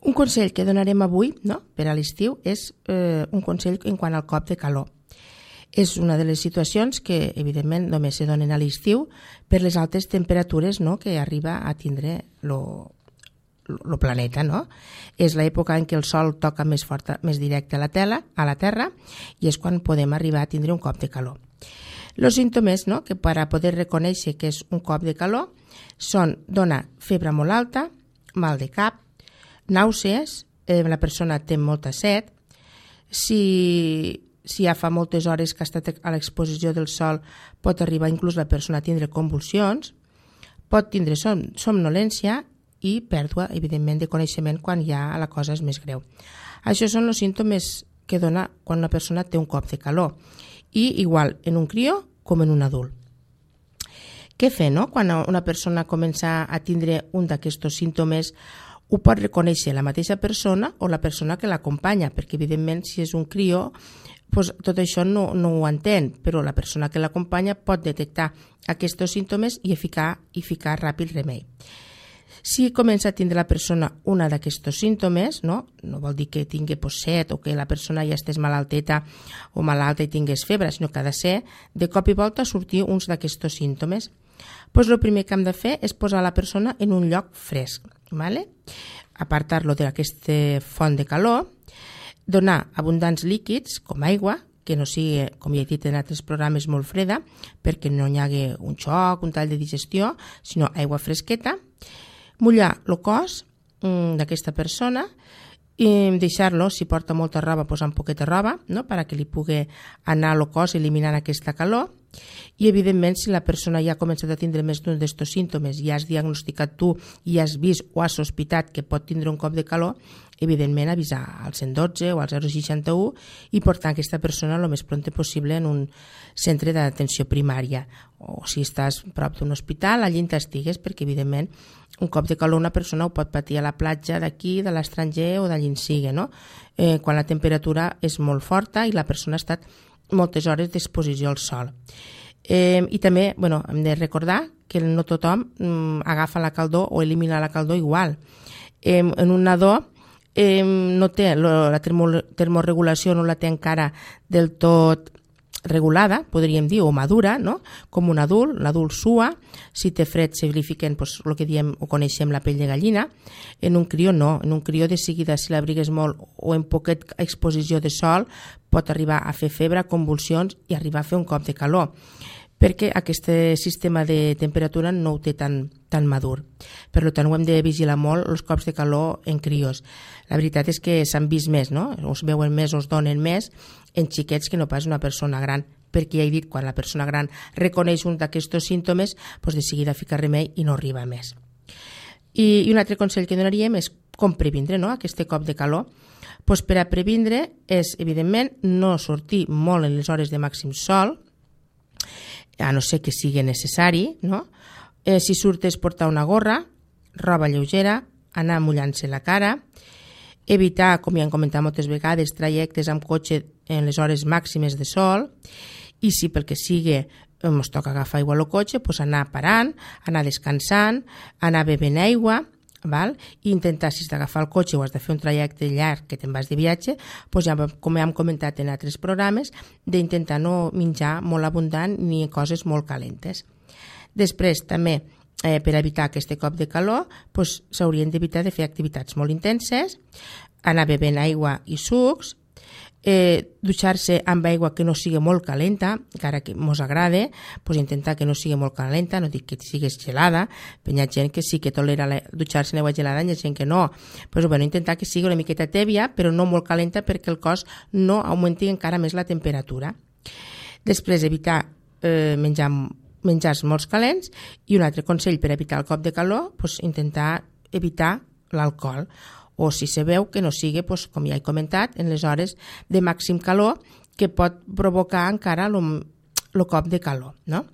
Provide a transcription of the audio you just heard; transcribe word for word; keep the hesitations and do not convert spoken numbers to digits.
Un consell que donarem avui, no?, per a l'estiu és eh, un consell en quant al cop de calor. És una de les situacions que, evidentment, només se donen a l'estiu per les altes temperatures, no?, que arriba a tindre lo, lo planeta, no? És l'època en què el sol toca més fort, més directe a la, tela, a la Terra, i és quan podem arribar a tindre un cop de calor. Els símptomes, no?, que per a poder reconèixer que és un cop de calor són donar febre molt alta, mal de cap, nàusees, eh, la persona té molta set, si, si ja fa moltes hores que ha estat a l'exposició del sol pot arribar inclús la persona a tindre convulsions, pot tindre som, somnolència i pèrdua, evidentment, de coneixement quan ja la cosa és més greu. Això són els símptomes que dona quan una persona té un cop de calor, i igual en un crió com en un adult. Què fer, no?, quan una persona comença a tindre un d'aquests símptomes? Ho pot reconèixer la mateixa persona o la persona que l'acompanya, perquè evidentment si és un crió doncs tot això no, no ho entén, però la persona que l'acompanya pot detectar aquests símptomes i ficar, i ficar ràpid remei. Si comença a tindre la persona una d'aquests símptomes, no, no vol dir que tingui pues, set o que la persona ja estés malalteta o malalta i tingués febre, sinó que ha de ser de cop i volta sortir uns d'aquests símptomes. Pues el primer que hem de fer és posar la persona en un lloc fresc, ¿vale? Apartar-lo d'aquesta font de calor, donar abundants líquids com aigua, que no sigui, com ja he dit en altres programes, molt freda, perquè no hi hagi un xoc, un tall de digestió, sinó aigua fresqueta, mullar el cos mm, d'aquesta persona i deixar-lo, si porta molta roba, posar un poquet de roba, no?, perquè li pugui anar el cos eliminant aquesta calor. I, evidentment, si la persona ja ha començat a tindre més d'un d'aquests símptomes i has diagnosticat tu i has vist o has sospitat que pot tindre un cop de calor, evidentment avisar al cent dotze o al zero seixanta-u i portar aquesta persona el més pront possible en un centre d'atenció primària. O si estàs prop d'un hospital, allí t'estigues, perquè, evidentment, un cop de calor una persona ho pot patir a la platja d'aquí, de l'estranger o d'allí en sigui, no? Eh, quan la temperatura és molt forta i la persona ha estat moltes hores d'exposició al sol. Eh, I també, bueno, hem de recordar que no tothom mm, agafa la calor o elimina la calor igual. Eh, en un nadó eh, no té, la termo, termorregulació no la té encara del tot regulada, podríem dir, o madura, no?, com un adult. L'adult sua, si té fred se li fiquen pues, el que diem o coneixem la pell de gallina. En un crió no, en un crió de seguida, si l'abrigues molt o en poquet exposició de sol, pot arribar a fer febre, convulsions i arribar a fer un cop de calor, perquè aquest sistema de temperatura no ho té tan, tan madur. Per tant, ho hem de vigilar molt, els cops de calor en crios. La veritat és que s'han vist més, no?, us veuen més, us donen més en xiquets que no pas una persona gran, perquè ja he dit, quan la persona gran reconeix un d'aquests símptomes, doncs de seguida fica remei i no arriba més. I, i un altre consell que donaríem és com previndre, no?, aquest cop de calor. Pues per a previndre és, evidentment, no sortir molt en les hores de màxim sol, a no ser que sigui necessari, no? Eh, si surtes portar una gorra, roba lleugera, anar mullant-se la cara, evitar, com ja hem comentat moltes vegades, trajectes amb cotxe en les hores màximes de sol, i si pel que sigui ens toca agafar aigua al cotxe, doncs anar parant, anar descansant, anar bevent aigua, val? I intentar, si has d'agafar el cotxe o has de fer un trajecte llarg que te'n vas de viatge, doncs ja, com hem comentat en altres programes, d'intentar no menjar molt abundant ni coses molt calentes. Després, també, eh, per evitar aquest cop de calor, doncs s'haurien d'evitar de fer activitats molt intenses, anar bevent aigua i sucs, Eh, dutxar-se amb aigua que no sigui molt calenta, encara que mos agrade, pues intentar que no sigui molt calenta, no dic que siguis gelada, però hi ha gent que sí que tolera dutxar-se en aigua gelada, hi ha gent que no. Pues, bueno, intentar que sigui una miqueta tèbia, però no molt calenta perquè el cos no augmenti encara més la temperatura. Després, evitar eh, menjar menjars molt calents, i un altre consell per evitar el cop de calor, pues, intentar evitar l'alcohol, o si se veu que no sigui, doncs, com ja he comentat, en les hores de màxim calor que pot provocar encara el cop de calor, no?